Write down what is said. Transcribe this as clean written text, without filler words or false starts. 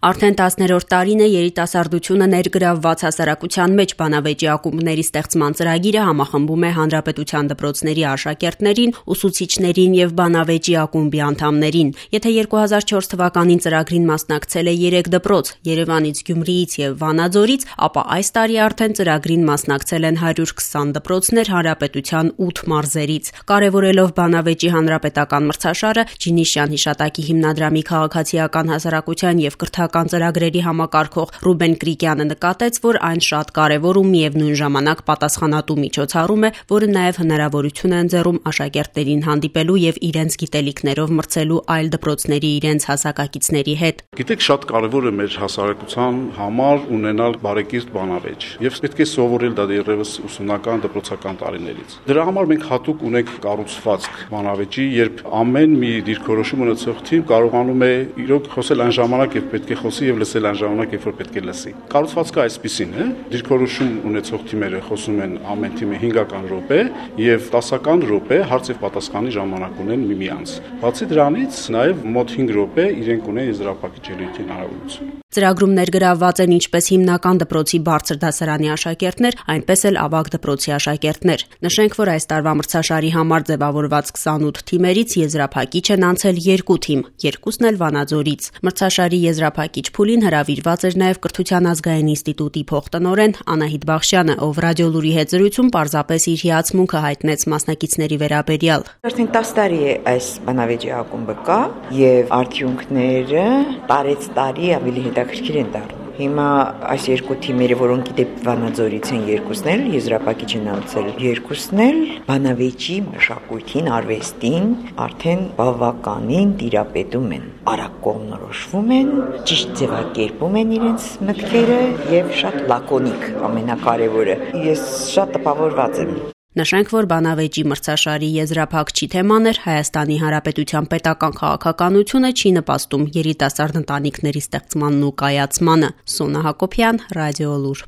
Արդեն 10-րդ տարին է երիտասարդությունը ներգրավված հասարակության մեջ բանավեճի ակումբների ստեղծման ծրագիրը համախմբում է հանրապետության դպրոցների աշակերտներին, ուսուցիչներին եւ բանավեճի ակումբի անդամներին։ Եթե 2004 թվականին ծրագրին մասնակցել է 3 դպրոց՝ Երևանից, Գյումրիից եւ Վանաձորից, ապա այս տարի արդեն ծրագրին մասնակցել են 120 դպրոցներ հանրապետության 8 մարզերից։ Կարևորելով բանավեճի հանրապետական մրցաշարը, Ջինիշյան հիշատակի հիմնադրամի քաղաքացիական հասարակության եւ կրթական ծրագրերի համակարգող Ռուբեն Կրիկյանը նկատեց, որ այն շատ կարևոր ու միևնույն ժամանակ պատասխանատու միջոցառում է, որը նաև հնարավորություն է ընձեռում աշակերտներին հանդիպելու եւ իրենց գիտելիքներով մրցելու այլ դպրոցների իրենց հասակակիցների հետ։ Գիտեք, շատ կարևոր է մեր հասարակության համար ունենալ բարեկիրթ բանավեճ եւ պետք է սովորել դա դեռևս ուսումնական դպրոցական տարիներից։ Դրա համար մենք հատուկ ունենք կառուցվածք բանավեճի, երբ ամեն մի դիրքորոշում ունեցող թիմ կարողանում է իրոք խոսել այն ժամանակ, երբ պետք է խոսի եւ լսել այն ժամանակ, երբ որ պետք է լսի։ Կառուցվածքը այսպեսին է. դիրքորոշում ունեցող թիմերը խոսում են ամեն թիմը 5 րոպե եւ 10 րոպե հարց եւ պատասխանի ժամանակ ունեն միմյանց։ Բացի դրանից նաեւ մոտ 5 րոպե իրենք ունեն եզրափակիչելու հնարավորություն։ Ծրագրում ներգրավված են ինչպես հիմնական դպրոցի բարձր դասարանի աշակերտներ, այնպես էլ ավագ դպրոցի աշակերտներ։ Նշենք, որ այս տարվա մրցաշարի համար ձևավորված 28 թիմերից եզրափակիչ են անցել 2 թիմ, 2-ն էլ Վանաձորից։ Մրցաշարի եզրափակիչ փուլին հրավիրված էր նաև Կրթության ազգային ինստիտուտի փոխտնօրեն Անահիտ Բախշյանը, ով ռադիոլուրի հետ զրույցում պարզապես իր հիացմունքը հայտնեց մասնակիցների վերաբերյալ։ Արդեն 10 տարի է այս բանավեճի ակումբը կա եւ արդյունքները տարեց տարի ավելի հետաքրքիր են դառնում։ Հիմա այս 2 թիմերը, որոնք իդեպ Վանաձորից են 2-ն էլ եզրափակիչ են անցել, 2-ն էլ բանավեճի մշակույթին, արվեստին արդեն բավականին տիրապետում են, արագ կողմնորոշվում են, ճիշտ ձևակերպում են իրենց մտքերը եւ շատ լակոնիկ, ամենակարևորը։ Ես շատ տպավորված եմ։ Նշենք, որ բանավեճի մրցաշարի եզրափակչի թեման էր Հայաստանի Հանրապետության պետական քաղաքականությունը չի նպաստում երիտասարդ ընտանիքների ստեղծմանն ու կայացմանը։ Սոնա Հակոբյան, Ռադիոլուր։